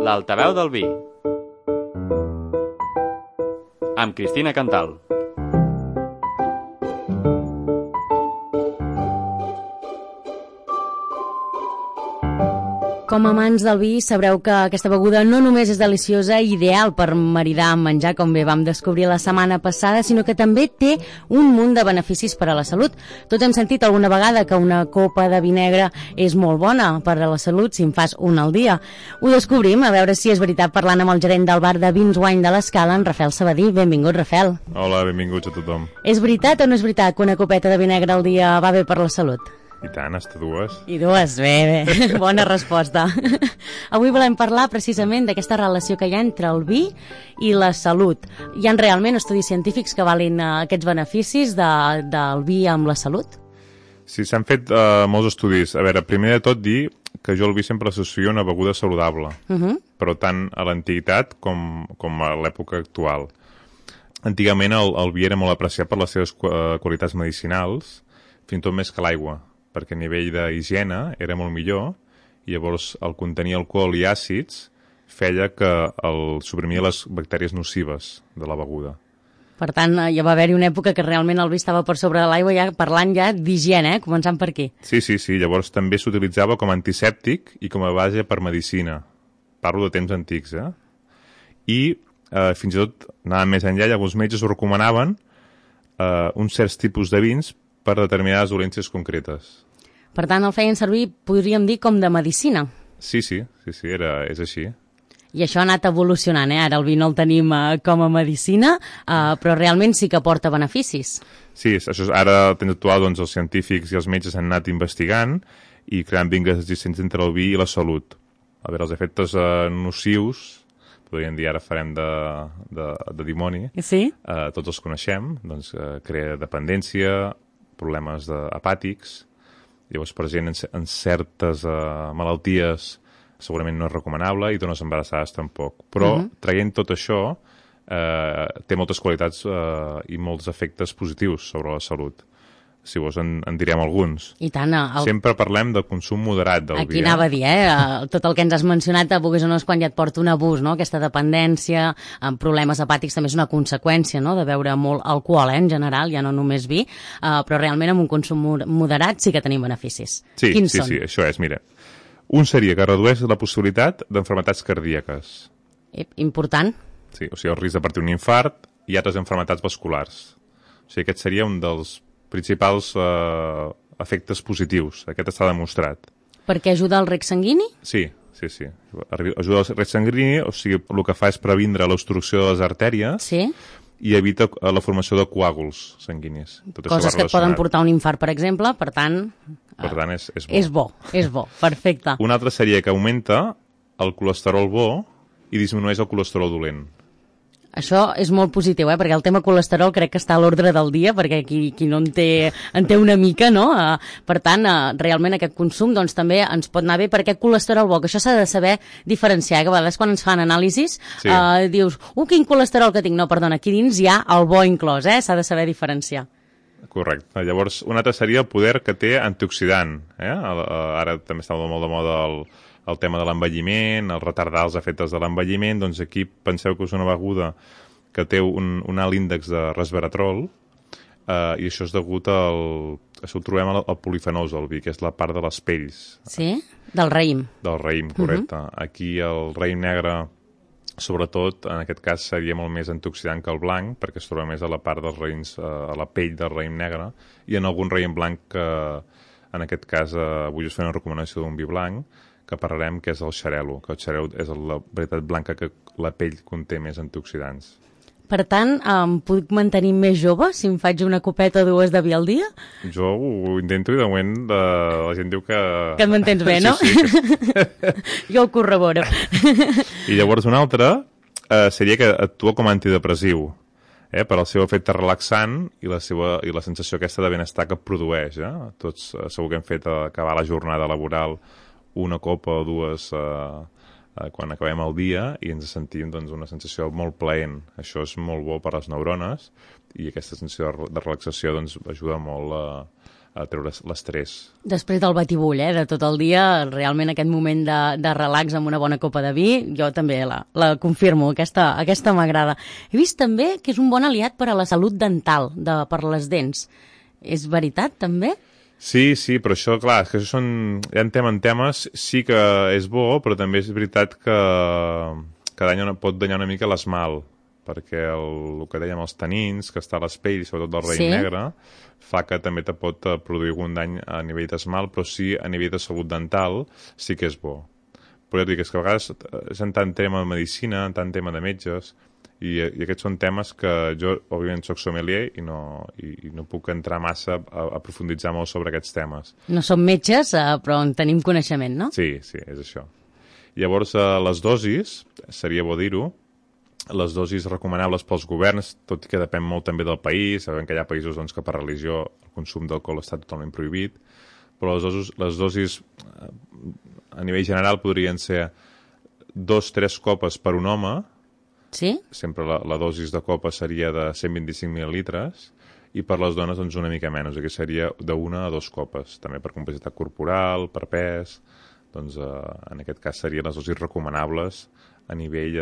L'altaveu del vi amb Cristina Cantal. Com a amants del vi, sabreu que aquesta beguda no només és deliciosa i ideal per maridar amb menjar, com bé vam descobrir la setmana passada, sinó que també té un munt de beneficis per a la salut. Tots hem sentit alguna vegada que una copa de vi negre és molt bona per a la salut si en fas una al dia. Ho descobrim, a veure si és veritat, parlant amb el gerent del bar de Vins Wine de l'Escala, en Rafael Sabadí. Benvingut, Rafael. Hola, benvinguts a tothom. És veritat o no és veritat que una copeta de vi negre al dia va bé per la salut? I tant, hasta dues. I dues, bé. Bona resposta. Avui volem parlar precisament d'aquesta relació que hi ha entre el vi i la salut. Hi ha realment estudis científics que valin aquests beneficis del vi amb la salut? Sí, s'han fet molts estudis. A veure, primer de tot dir que jo el vi sempre associo una beguda saludable, però tant a l'antiguitat com a l'època actual. Antigament el vi era molt apreciat per les seves qualitats medicinals, fins i tot més que l'aigua, perquè a nivell d'higiene era molt millor i llavors el contenir alcohol i àcids feia que el suprimia les bactèries nocives de la beguda. Per tant, ja va haver-hi una època que realment el vi estava per sobre de l'aigua, ja parlant ja d'higiene, començant per aquí. Sí, llavors també s'utilitzava com a antisèptic i com a base per medicina. Parlo de temps antics, I fins i tot, anàvem més enllà, llavors els metges ho recomanaven uns certs tipus de vins per determinades dolències concretes. Per tant, el feien servir, podríem dir, com de medicina. Sí, és així. I això ha anat evolucionant, Ara el vi no el tenim com a medicina, però realment sí que aporta beneficis. Sí, això ara, temps actual, doncs, els científics i els metges han anat investigant i creant vincles existents entre el vi i la salut. A veure, els efectes nocius, podríem dir, ara farem de dimoni, sí? Tots els coneixem, doncs crea dependència, problemes apàtics, llavors per gent en certes malalties segurament no és recomanable i dones embarassades tampoc. Però traient tot això té moltes qualitats i molts efectes positius sobre la salut. Si vols en direm alguns. I tant. Sempre parlem de consum moderat del vi. Aquí anava a dir, tot el que ens has mencionat, vulguis o no, és quan ja et porta un abús, no? Aquesta dependència, amb problemes hepàtics també és una conseqüència, no?, de beure molt alcohol, en general, ja no només vi, però realment amb un consum moderat sí que tenim beneficis. Quins són? Sí, això és, mira. Un seria que redueix la possibilitat d'enfermetats cardíaques. Important. Sí, o sigui, el risc de patir un infart i altres enfermetats vasculars. O sigui, aquest seria un dels principals efectes positius. Aquest està demostrat. Perquè ajuda al rec sanguini? Sí. Ajuda al rec sanguini, o sigui, el que fa és previndre l'obstrucció de les artèries i evita la formació de coàguls sanguinis. Coses que et poden portar un infart, per exemple, per tant és bo. És bo, perfecte. Un altre seria que augmenta el colesterol bo i disminueix el colesterol dolent. Això és molt positiu, perquè el tema colesterol crec que està a l'ordre del dia, perquè qui no en té una mica, no? Per tant, realment aquest consum doncs, també ens pot anar bé per aquest colesterol bo, que això s'ha de saber diferenciar, que a vegades quan ens fan anàlisis dius, quin colesterol que tinc. No, perdona, aquí dins hi ha el bo inclòs, s'ha de saber diferenciar. Correcte. Llavors, un altre seria el poder que té antioxidant. Ara també està molt de moda el tema de l'envelliment, el retardar els efectes de l'envelliment, doncs aquí penseu que és una beguda que té un alt índex de resveratrol i això és degut això ho trobem al polifenols del vi, que és la part de les pells. Sí? Del raïm. Del raïm, correcte. Aquí el raïm negre, sobretot, en aquest cas seria molt més antioxidant que el blanc, perquè es troba més a la part dels raïms, a la pell del raïm negre, i en algun raïm blanc que, en aquest cas, avui us fem una recomanació d'un vi blanc, que parlarem, que és el xarel·lo, que el xarel·lo és la varietat blanca que la pell conté més antioxidants. Per tant, puc mantenir més jove si em faig una copeta o dues de vi al dia? Jo ho intento i de moment la gent diu que... Que et mantens bé, no? Sí. Jo ho corroboro. I llavors un altre seria que actua com a antidepressiu, per al seu efecte relaxant i la sensació aquesta de benestar que produeix. Tots segur que hem fet acabar la jornada laboral una copa o dues quan acabem el dia i ens sentim una sensació molt plaent. Això és molt bo per a les neurones i aquesta sensació de relaxació ajuda molt treure l'estrès. Després del batibull, de tot el dia, realment aquest moment de relax amb una bona copa de vi, jo també la confirmo, aquesta m'agrada. He vist també que és un bon aliat per a la salut dental, per les dents. És veritat, també? Sí, però això, clar, és que això hi ha temes, sí que és bo, però també és veritat que pot danyar una mica l'esmalt, perquè el que dèiem els tanins, que està a les pells, sobretot del raïm negre, fa que també te pot produir algun dany a nivell d'esmalt, però sí a nivell de salut dental sí que és bo. Però ja et dic, és que a vegades és en tant tema de medicina, en tant tema de metges, i aquests són temes que jo, òbviament, soc sommelier i no puc entrar massa a profunditzar molt sobre aquests temes. No som metges, però en tenim coneixement, no? Sí, és això. Llavors, les dosis, seria bo dir-ho, les dosis recomanables pels governs, tot i que depèn molt també del país, sabem que hi ha països que per religió el consum d'alcohol està totalment prohibit, però les dosis a nivell general podrien ser 2-3 copes per un home, sempre la dosis de copa seria de 125 mil·lilitres, i per les dones una mica menys, aquí seria d'1 a 2 copes, també per complexitat corporal, per pes, en aquest cas serien les dosis recomanables a nivell,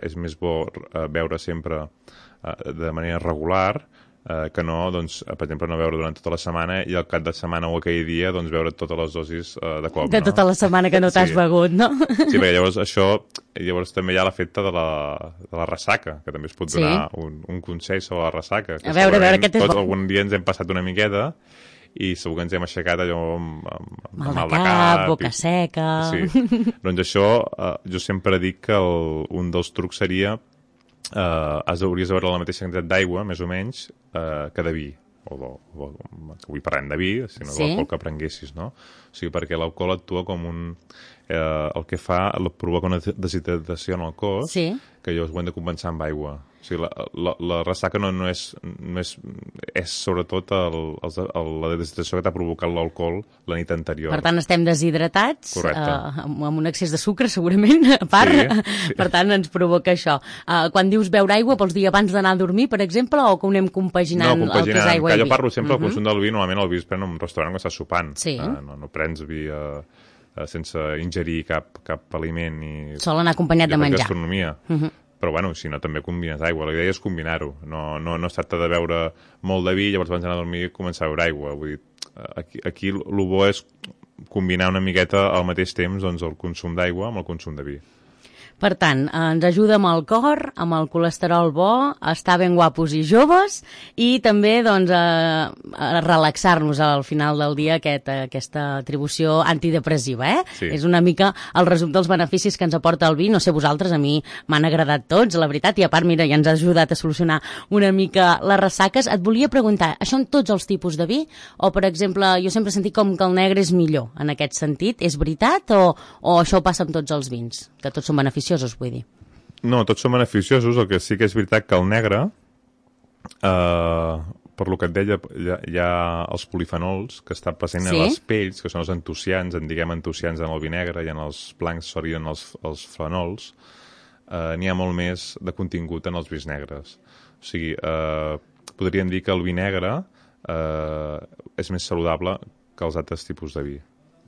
és més bo beure sempre de manera regular que no, per exemple, no beure durant tota la setmana i al cap de setmana o aquell dia beure totes les dosis de cop. De tota la setmana que no t'has begut, no? Sí, perquè llavors també hi ha l'efecte de la ressaca, que també es pot donar un consell sobre la ressaca. A veure, aquest és bo. Tots algun dia ens hem passat una miqueta i segur que ens hem aixecat allò amb mal de cap, boca seca... Sí. Doncs això, jo sempre dic que un dels trucs seria hauries de beure la mateixa quantitat d'aigua, més o menys, que de vi. Avui parlem de vi, si no l'alcohol que prenguessis, no? O sigui, perquè l'alcohol actua com el que fa, provoca una deshidratació en el cos, que llavors ho hem de compensar amb aigua. O sigui, la ressaca no és sobretot la deshidratació que t'ha provocat l'alcohol la nit anterior. Per tant, estem deshidratats, amb un excés de sucre, segurament, a part. Sí. Per tant, ens provoca això. Quan dius beure aigua, vols dir abans d'anar a dormir, per exemple, o que ho anem compaginant el que és aigua i vi? Jo parlo sempre del consum del vi, normalment el vi es pren en un restaurant que estàs sopant. No prens vi sense ingerir cap aliment. Sol anar acompanyat de menjar. Gastronomia. Però, si no, també combines aigua. La idea és combinar-ho. No es tracta de beure molt de vi i llavors abans d'anar a dormir i començar a beure aigua. Vull dir, aquí el bo és combinar una miqueta al mateix temps el consum d'aigua amb el consum de vi. Per tant, ens ajuda amb el cor, amb el colesterol bo, a estar ben guapos i joves i també a relaxar-nos al final del dia aquesta atribució antidepressiva. Sí. És una mica el resum dels beneficis que ens aporta el vi. No sé vosaltres, a mi m'han agradat tots, la veritat, i a part, mira, ja ens ha ajudat a solucionar una mica les ressaques. Et volia preguntar, això en tots els tipus de vi? O, per exemple, jo sempre he sentit com que el negre és millor en aquest sentit. És veritat o això passa amb tots els vins? Que tots són beneficiosos, vull dir. No, tots són beneficiosos, el que sí que és veritat que el negre, per lo que et deia, hi ha els polifenols que estan presents a les pells, que són els antocians, en el vi negre, i en els blancs serien els fenols, n'hi ha molt més de contingut en els vins negres. O sigui, podríem dir que el vi negre és més saludable que els altres tipus de vi.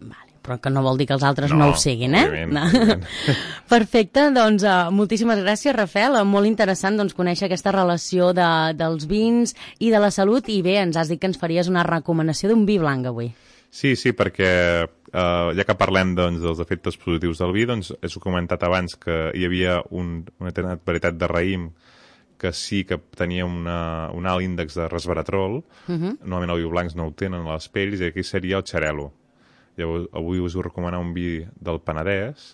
Vale, però que no vol dir que els altres no ho siguin, Òbviament. Perfecte, doncs moltíssimes gràcies, Rafael. Molt interessant conèixer aquesta relació dels vins i de la salut, i bé, ens has dit que ens faries una recomanació d'un vi blanc avui. Sí, perquè ja que parlem dels efectes positius del vi, he comentat abans que hi havia una determinada varietat de raïm que sí que tenia un alt índex de resveratrol. Normalment els vi blancs no ho tenen a les pells, i aquí seria el xarel·lo. Llavors, avui us vull recomanar un vi del Penedès.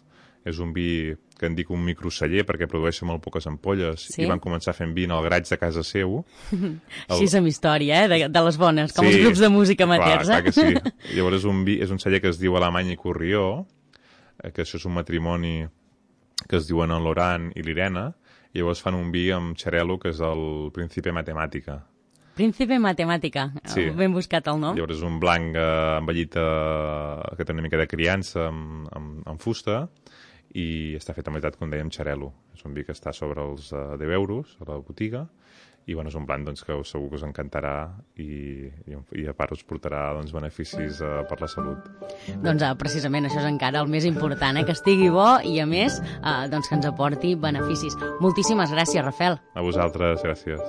És un vi que en dic un microceller perquè produeix molt poques ampolles, i van començar fent vi en el garatge de casa seu. Així és amb història, de les bones, com els grups de música amateurs. Clar que sí. Llavors és un celler que es diu Alemany i Corrió, que això és un matrimoni que es diuen en Loran i l'Irena, i llavors fan un vi amb xarel·lo que és el Príncipe Matemàtica. Príncipe Matemàtica, ben buscat el nom. Llavors és un blanc envellit que té una mica de criança amb fusta, i està fet en veritat, com dèiem, xarel·lo. És un vi que està sobre els 10 euros a la botiga, i bueno, és un blanc doncs, que segur que us encantarà i a part us portarà doncs, beneficis per la salut. Doncs precisament això és encara el més important, que estigui bo i a més doncs, que ens aporti beneficis. Moltíssimes gràcies, Rafael. A vosaltres, gràcies.